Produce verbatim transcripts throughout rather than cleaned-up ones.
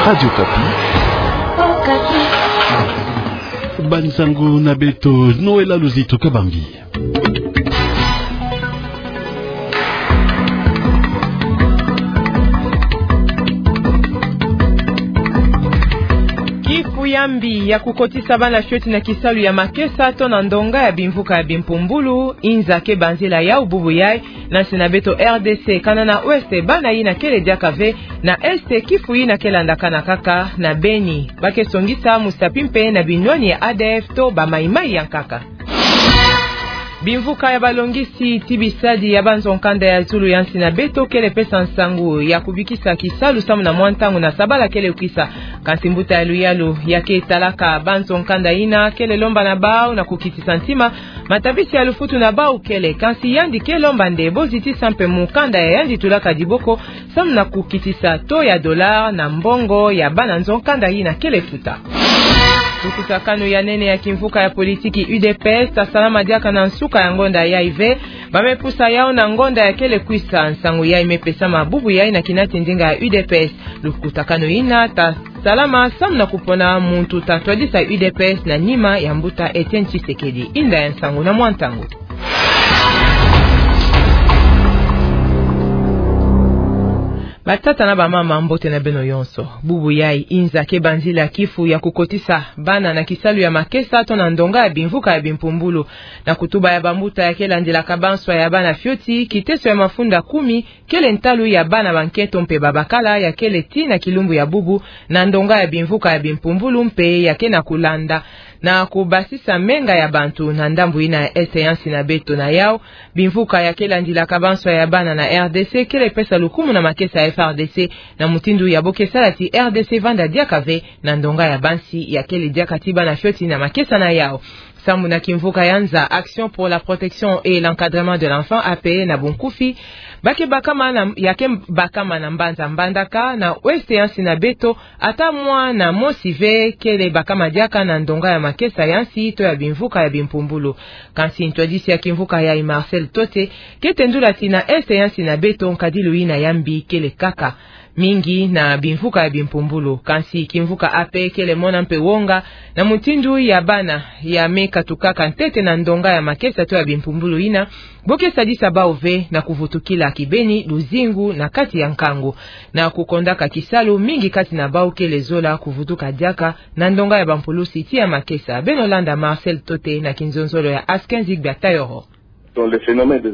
Radio Okapi. Okapi. Bansangu na beto, Noël Luzito Kabambi. Kifu ya mbi ya kukotisa bana fioti na kisalu ya makesa to na ndonga ya bimvuka ya bimpumbulu, inza ke banzila yau bubu yai, na nsi na beto R D C, kana na Ouest, bana yina kele diaka ve, na Est, kifu yina ke landakana kaka na Beni. Ba ke songisa musapi mpe na binwani ya A D F to ba maimai ya nkaka. Bimvuka ya balongisi ti bisadi ya banzo nkanda ya zulu ya nsi na beto kele pesa nsangu ya kubikisa kisalu samu na mwa ntangu na sabala kele kwisa. Kansi mbuta ya luyalu ya ke talaka banzo nkanda yina kele lomba na bau na kukitisa ntima, matabisi ya lufutu na bau kele, kansi yandi ke lomba nde bo zitisa mpe mukanda ya yandi tulaka diboko, samu na kukitisa taux ya dollar na mbongo ya bana nzo nkanda yina kele futa. Lukutakanu ya nene ya kimvuka ya politiki U D P S ta salama diaka na nsuka ya ngonda yai ve. Ba me pusa yau na ngonda ya kele kwisa. Nsangu yai me pesama bubu yai na kinati ndinga ya U D P S. Lukutakanu yina ta salama samu na kupona muntu ta twadisa U D P S na nima ya mbuta Etienne Tshisekedi. Inda ya nsangu na mwa ntangu. Batata na bamama, mbote na beno yonso. Bubu yai, inza ke banzila kifu ya kukotisa bana na kisalu ya makesa to na ndonga ya bimvuka ya bimpumbulu. Na kutuba ya bambuta ya ke landilaka banswa ya bana fioti, kiteso ya mafunda kumi kele ntalu ya bana ba nketo mpe babakala ya kele tii na kilumbu ya bubu na ndonga ya bimvuka ya bimpumbulu mpe ya ke na kulanda na kubasisa menga ya bantu na ndambu yina ya Est ya nsi na beto. Na yau, bimvuka ya ke landilaka banswa ya bana na R D C kele pesa lukumu na makesa ya F A R D C, na mutindu ya bo ke sala ti R D C vanda diaka ve na ndonga ya bansi ya kele diaka ti bana fioti na makesa na yau. Sambu na kimvuka ya nza, Action pour la protection et l'encadrement de l'enfant, A P E na bunkufi, ba ke bakama na, ya ke bakama na mbanza Mbandaka, na Ouest ya nsi na beto, ata mwana mosi ve kele bakama diaka na ndonga ya makesa ya nsi to ya bimvuka ya bimpumbulu. Kansi ntwadisi ya kimvuka yai, Marcel Tote, ke tendula ti na Est ya nsi na beto nkadilu yina ya mbi kele kaka mingi na bimvuka ya bimpumbulu. Kansi kimvuka A P E kele mona mpe wonga na mutindu ya bana ya me katukaka ntete na ndonga ya makesa to ya bimpumbulu yina, bo ke sadisa bau ve na kuvutukila kibeni luzingu na kati ya nkangu. Na kukondaka kisalu, mingi kati na bau kele zola kuvutuka diaka na ndonga ya bampulusi ti ya makesa. Beno landa Marcel Tote na kinzonzolo ya Asken Zigbia Tayoro.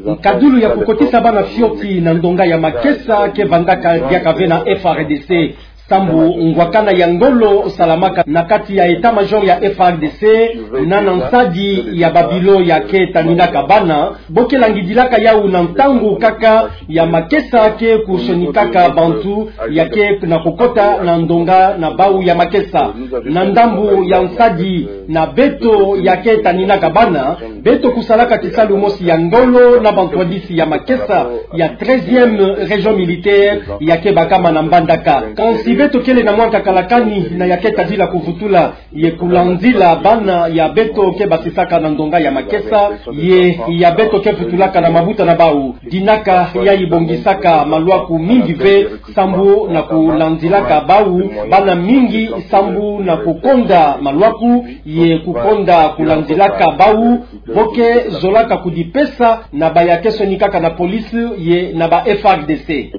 Nkadilu ya kukotisa bana fioti na ndonga ya makesa ke vandaka diaka ve na F A R D C. Sambu ngwakana ya ngolo salamaka na kati ya état-major ya F A R D C, na na nsadi ya babilo ya ke taninaka bana, bo ke langidilaka yau na ntangu kaka ya makesa ke kusonikaka bantu ya ke na kukota na ndonga na bau ya makesa. Na ndambu ya nsadi na beto ya ke taninaka bana, beto kusalaka kisalu mosi ya ngolo na bantwadisi ya makesa ya treizième région militaire ya ke bakama na Mbandaka. Kansi beto kele na mwa nkaka la kani na ya ke tadila kuvutula ye kulandila bana ya beto ke basisaka na ndonga ya makesa, ye ya beto ke vutulaka na mabuta na bau. Dinaka yai bongisaka malwaku mingi ve sambu na kulandilaka bau bana mingi sambu na kukonda malwaku ye kukonda kulandilaka bau. Bo ke zolaka kudipesa na ba ya ke sonikaka na police ye na ba F A R D C.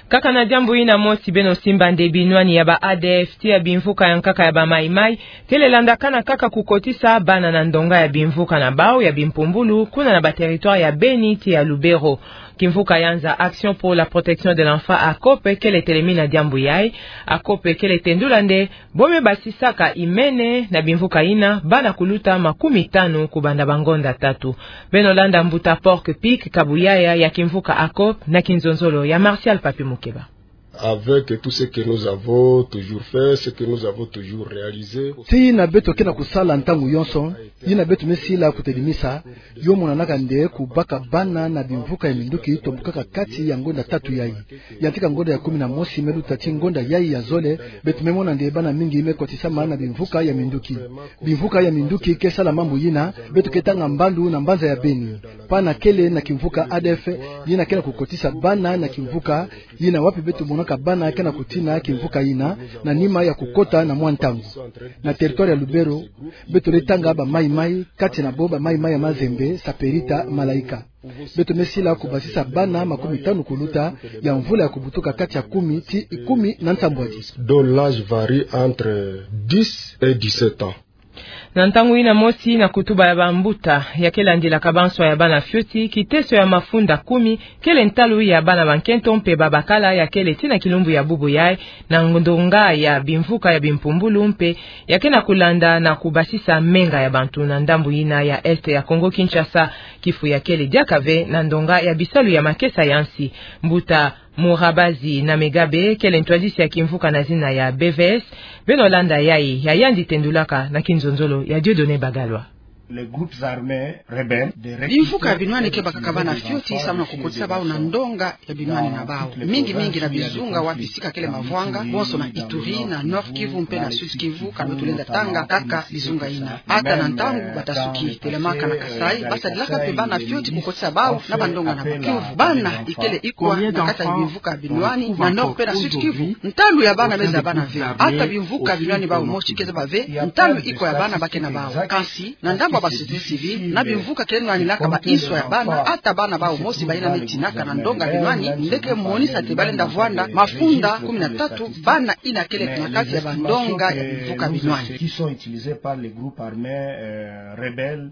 Kaka na diambu yina mosi, beno simba nde binwani ya ba A D F ti ya bimvuka ya nkaka ya ba Maï-Maï kele landakana kaka kukotisa bana na ndonga ya bimvuka na bau ya bimpumbulu kuna na ba territoire ya Beni ti ya Lubero. Kimvuka ya nza Action pour la protection de l'enfant, ACOP, kele telemina diambu yai. ACOP kele tendula nde bo me basisaka imene na bimvuka yina bana kuluta makumi tanu kubanda bangonda tatu. Beno landa mbuta Porc-Épic Kabuyaya ya kimvuka ACOP na kinzonzolo ya Martial Papi Mukeba. Avec tout ce que nous avons toujours fait, ce que nous avons toujours réalisé. Ti yina beto ke na kusala ntangu yonso, yina beto me sila kutelimisa, yo monanaka nde kubaka bana na bimvuka ya minduki tombukaka kati ya ngonda tatu yai. Yantika ngonda ya kumi na mosi me luta ti ngonda yai ya zole, beto me mona nde bana mingi me kotisama na bimvuka ya minduki. Bimvuka ya minduki ke sala mambu yina, beto ke tanga mbandu na mbanza ya Beni. Pana kele na kimvuka A D F, yina ke na kukotisa bana na kimvuka yina, wapi beto mona Ka bana ke na kutina kimvuka yina na nima ya kukota na mwa ntangu. Na territoire ya Lubero, beto le tanga bamaimai, kati na bo bamaimai ya Mazembe, Saperita, Malaika. Beto me sila kubasisa bana makumi tanu kuluta ya mvula ya kubutuka kati ya kumi ti kumi na nsambwadi. Dont l'âge varie entre dix et dix-sept ans. Na ntangu yina mosi na kutuba ya bambuta, ya ke landilaka banswa ya bana fioti, kiteso ya mafunda kumi, kele ntalu ya bana bankento mpe babakala ya kele ti na kilumbu ya bubu yai, na ndonga ya bimvuka ya bimpumbulu mpe, ya ke na kulanda na kubasisa menga ya bantu na ndambu yina ya Est ya Congo Kinshasa, kifu ya kele diaka ve na ndonga ya bisalu ya makesa ya nsi. Mbuta Murabazi na Megabe, kele ntwadisi ya kimvuka na zina ya B V S, beno landa yai, ya yandi tendulaka na kinzonzolo ya Dieudonné Bagalwa. Les groupes armés rebelles de recruter... Bimvuka binwani ke bakaka bana fioti samu na kukotisa bau na ndonga ya binwani na bau. Mingi mingi na bizunga wapi sika kele mavwanga, bonso na Ituri, na Nord Kivu mpe na Sud Kivu, kano tulenda tanga kaka bizunga yina. Ata na ntangu bata suki telamaka na Kasaï, ba sadilaka mpe bana fioti kukotisa bau na bandonga na bau. Kivu, bana ikele ikwa na kati ya bimvuka binwani na Nord mpe na Sud Kivu. Ntalu ya bana me zabana ve. Ata bimvuka binwani bau mosi ke zaba ve ntalu ikwa ya bana ba ke na bau. Kansi, na ndambu ya ba société civile, na bimvuka kele nwanilaka ba inswa ya bana, ata bana bau mosi bayina me tinaka na ndonga binwani, nde ke monisa te balenda vwanda mafunda kumi na tatu bana yina kele na kati ya bandonga ya bimvuka binwani. Qui sont utilisés par les groupes armés, euh, rebelles.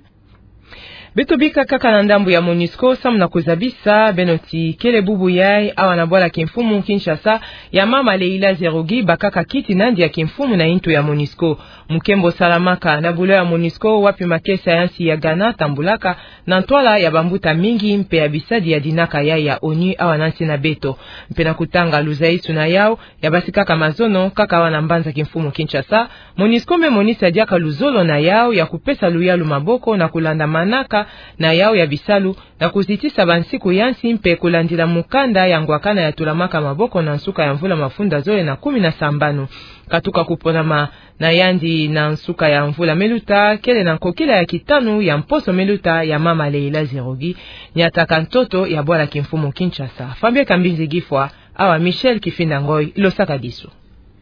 Beto bika kaka na ndambu ya MONUSCO, samu na kuzabisa beno ti kele bubu yai, awa na bwala kimfumu Kinshasa ya mama Leila Zerugi, bakaka kiti nandi ya kimfumu na yintu ya MONUSCO. Mukembo salamaka na bulo ya MONUSCO, wapi makesa ya nsi ya Ghana tambulaka na ntwala ya bambuta mingi mpe ya bisadi ya dinaka yai ya ONU awa na nsi na beto. Mpe na kutanga luzaisu na yau, ya basi kaka mazono, kaka awa na mbanza kimfumu Kinshasa, MONUSCO me monisa diaka luzolo na yau ya kupesa luyalu maboko na kulanda manaka na yau ya bisalu, na kuzitisa bansiku ya nsi mpe kulandila mukanda ya ngwakana ya tulamaka maboko na nsuka ya mvula mafunda zole na kumi na sambanu. Katuka kuponama na yandi na nsuka ya mvula me luta, kele na nkokila ya kitanu ya mposo me luta ya mama Leila Zerugi, nyataka ntoto ya bwala kimfumu Kinshasa. Fabien Kambinzi Gifwa, awa Michel Kifinda Ngoy, losakadisu.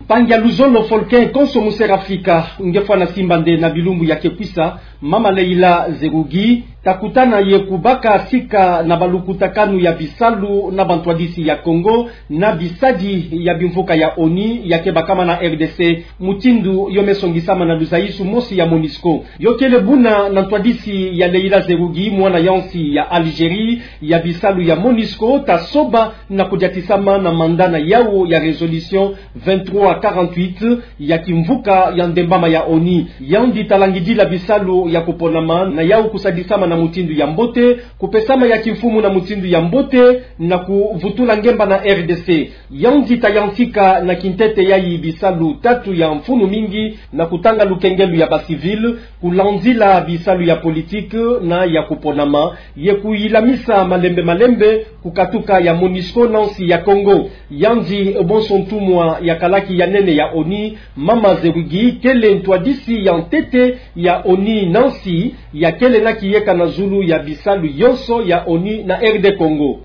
Mpangi ya luzolo Volker Konso Muserafrika, nge fwana simba nde na bilumbu ya ke kwisa, mama Leila Zerugi ta kutana ye kubaka sika na balukutakanu ya bisalu na bantwadisi ya Congo na bisadi ya bimvuka ya ONU ya ke bakama na R D C, mutindu yo me songisama na luzaisu mosi ya MONUSCO. Yo kele buna na ntwadisi ya Leila Zerugi, mwana ya nsi ya Algérie, ya bisalu ya MONUSCO ta soba na kudiatisama na mandat na yau ya résolution vingt-trois quarante-huit ya kimvuka ya ndembama ya ONU. Yandi ta langidila bisalu ya kuponama na yau kusadisama na mutindu ya mbote, kupesama ya kimfumu na mutindu ya mbote, na kuvutula ngemba na R D C. Yandi ta yantika na kintete yai bisalu tatu ya mfunu mingi, na kutanga lukengelu ya ba civil, kulandila bisalu ya politique na ya kuponama, ye kuyilamisa malembe malembe kukatuka ya MONUSCO na nsi ya Congo. Yandi bonso ntumwa ya kalaki ya nene ya ONU, mama Zerugi kele ntwadisi ya ntete ya ONU na nsi, ya kele na kiyeka na zulu ya bisalu yonso ya ONU na R D Congo.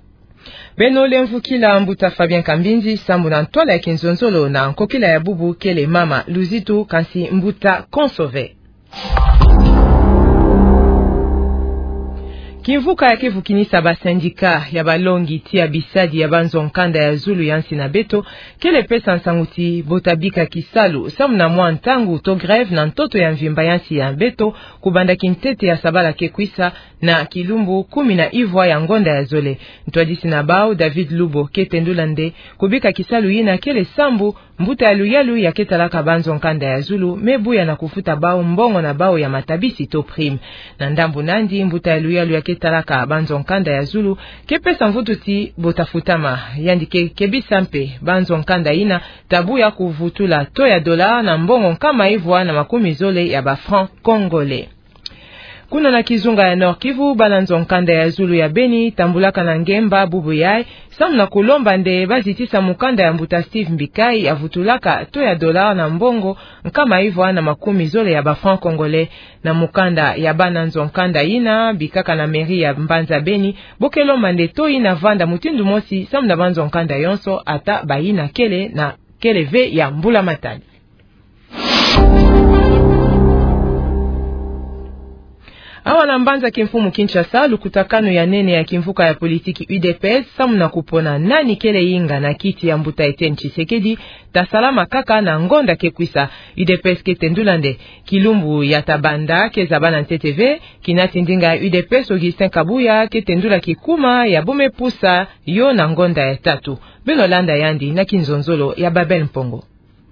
Beno lemvukila mbuta Fabien Kambinzi, sambu na ntwala ya kinzonzolo na nkokila ya bubu kele mama Luzitu, kansi mbuta Konso ve. Kimvuka ya ke vukinisa ba syndicat ya balongi tia bisadi ya banzo nkanda ya zulu ya nsi na beto, kele pesa nsangu ti bo ta bika kisalu, sambu na mwa ntangu to grève na ntoto ya mvimba ya nsi ya beto, kubanda kintete ya sabala ke kwisa, na kilumbu kumi na ivwa ya ngonda ya zole. Ntwadisi na bau, David Lubo, ke tendula nde kubika kisalu yina kele sambu mbuta ya luyalu ya ke talaka banzo nkanda ya zulu me buya na kufuta bau mbongo na bau ya matabisi to prime. Na ndambu nandi, mbuta ya luyalu ya ke talaka banzo nkanda ya zulu ke pesa mvutu ti bo ta futama. Yandi ke kebisa mpe banzo nkanda yina ta buya kuvutula taux ya dollar na mbongo nkama ivwa na makumi zole ya ba francs congolais. Kuna na kizunga ya Nord-Kivu, bana nzo-nkanda ya zulu ya Beni tambulaka na ngemba bubu yayi, samu na kulomba nde bazitisa mukanda ya mbuta Steve Mbikayi ya vutulaka taux ya dollar na mbongo nkama ivwa na makumi zole ya ba francs congolais. Na mukanda ya bana nzo-nkanda yina bikaka na mairie ya mbanza Beni, bo ke lomba nde taux yina vanda mutindu mosi samu na banzo-nkanda yonso, ata bayina kele na kele ve ya mbula-matadi. Awa na mbanza kimfumu Kinshasa, lukutakanu ya nene ya kimvuka ya politiki U D P S samu na kupona nani kele inga na kiti ya mbuta Etienne Tshisekedi tasalama kaka na ngonda ke kwisa. U D P S ke tendula nde kilumbu ya tabanda ke zaba na ntete ve. Kinati ndinga ya U D P S Augustin Kabuya ke tendula kikuma ya bo me pusa yo na ngonda ya tatu. Beno landa yandi na kinzonzolo ya Babel Mpongo.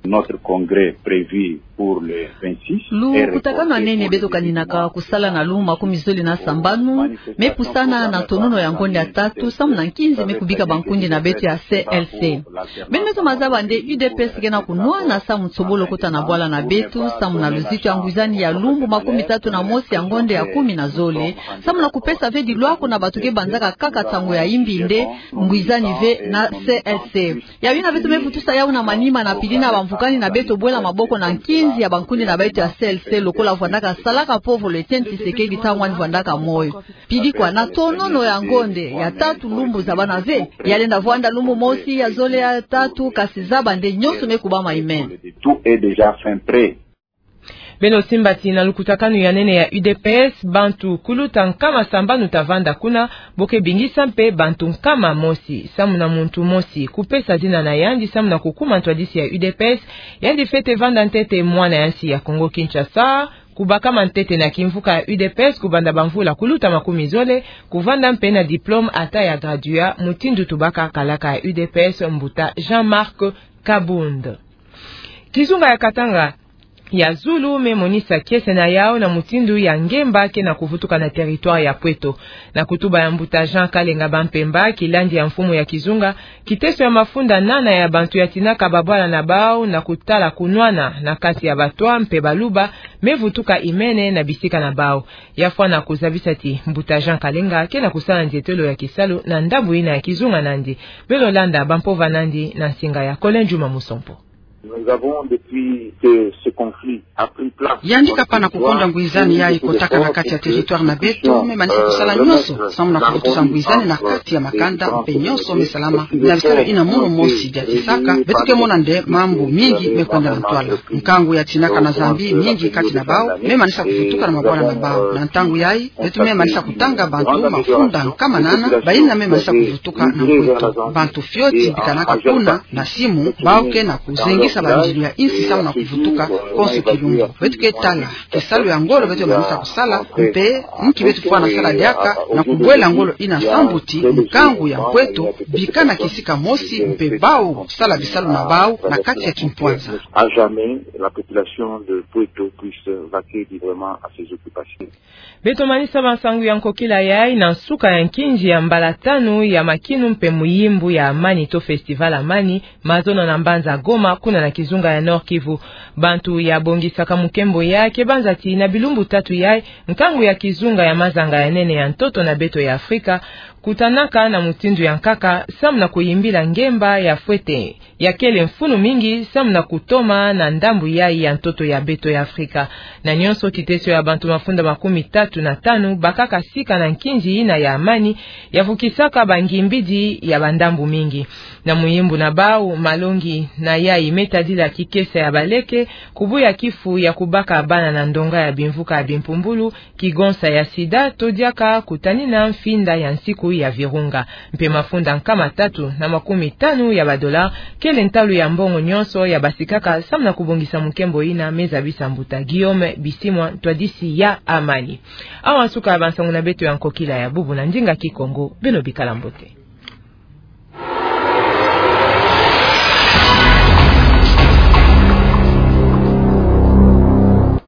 Notre congrès prévu pour le vingt-six. Lukutakanu ya nene beto kaninaka kusala na lumbu makumi zole na sambanu me pusana na tonono ya ngonda ya tatu samu na nkinzi me kubika bankundi na beto ya C L C. Beno beto mazaba nde U D P S ke na kunwana samu tsobolo kota na bwala na beto samu na luzitu ya ngwizani ya lumbu makumi tatu na mosi ya ngonda ya kumi na zole, samu na kupesa ve dilwako na bato ke banzaka kaka nsangu ya imbi nde ngwizani ve na C L C. Ya yina beto me vutusa yawu na manima na pili na bamvukani na beto bwela maboko na nkinzi ya bankundi na beto ya C L C, lokola vwandaka salaka povolo Etienne Tshisekedi ntangu wani vwandaka moyo. Pili kwa, na tonono ya ngonda ya tatu lumbu zabana ve. Ya lenda vwanda lumbu mosi, ya zole, ya tatu, kasi zaba nde nyonso me kubama imene. Tout est déjà fin prêt. Beno simba ti na lukutakanu ya nene ya U D P S, bantu kuluta nkama sambanu tavanda kuna, bo ke bingisa mpe bantu nkama mosi, samu na muntu mosi kupesa zina na yandi samu na kukuma ntwadisi ya U D P S, yandi fwete vanda ntete mwana ya nsi ya Kongo Kinshasa, kubakama ntete na kimvuka ya U D P S kubanda bamvula kuluta makumi zole, kuvanda mpe na diplôme ata ya gradua, mutindu tubaka kalaka ya U D P S mbuta Jean-Marc Kabund. Kizunga ya Katanga ya zulu me monisa kiese na yawu na mutindu ya ngemba ke na kuvutuka na territoire ya Pweto. Na kutuba ya mbuta Jean Kalenga Bampemba, kilandi ya mfumu ya kizunga, kiteso ya mafunda nana ya bantu ya tinaka babwala na bawu na kutala kunwana na kati ya Batwa mpe Baluba me vutuka imene na bisika na bawu. Ya fwana kuzabisa ti mbuta Jean Kalenga ke na kusala nzietelo ya kisalu na ndambu yina ya kizunga nandi. Beno landa bampova nandi na nsinga ya Colin Juma Musompo. Nous avons, depuis que ce conflit a pris place, yandi kapana kukonda ngwizani yayi kotaka na kati ya territoire na beto, me manisa kusala nyonso samu na kuvutusa ngwizani na kati ya makanda mpe nyonso me salama. Na bisalu yina mono mosi bia tisaka, beto ke mona nde mambu mingi me kwenda na ntwala. Nkangu ya tinaka na zambi mingi kati na bawu me manisa kuvutuka na mabwala na bawu. Na ntangu yayi, beto me manisa kutanga bantu mafunda nkama nana, bayina me manisa kuvutuka na Pweto. Bantu fioti bikanaka kuna na simu, bawu ke na kuzengisa bandilu ya insi samu na kuvutuka konso kilumbu. Beto ke tala kisalu ya ngolo beto manisa kusala, mpe nki beto fwana sala diaka na kubwela ngolo yina sambu ti nkangu ya Pweto bikana kisika mosi mpe bawu sala bisalu na bawu na kati ya kimpwanza. À jamais, la population de Pweto puisse vaquer librement à ses occupations. Beto manisa bansangu ya nkokila yayi na nsuka ya nkinzi ya mbala tanu ya makinu mpe muyimbu ya amani to festival amani, mazono na mbanza Goma, kuna na kizunga ya Nord-Kivu. Bantu ya bongisaka mukembo yayi ke banza ti na bilumbu tatu yayi, nkangu ya kizunga ya mazanga ya nene ya ntoto na beto ya Afrika kutanaka na mutindu ya nkaka samu na kuyimbila ngemba ya fwete ya kele mfunu mingi samu na kutoma na ndambu yayi ya ntoto ya beto ya Afrika. Na nyonso, kiteso ya bantu mafunda makumi tatu na tanu bakaka sika na nkinzi yina ya amani ya vukisaka bangimbidi ya bandambu mingi. Na muyimbu na bawu, malongi na yayi me tadila kikesa ya baleke, kubuya kifu ya kubaka bana na ndonga ya bimvuka ya bimpumbulu, kigonsa ya sida, to diaka kutanina mfinda ya nsiku ya virunga. Mpe mafunda nkama tatu na makumi tanu ya badola kele ntalu ya mbongo nyonso ya basikaka samu na kubongisa mukembo yina me zabisa mbuta Guillaume Bisimwa, ntwadisi ya amani. Awa nsuka ya bansangu na beto ya nkokila ya bubu na ndinga Kikongo. Beno bikala mbote.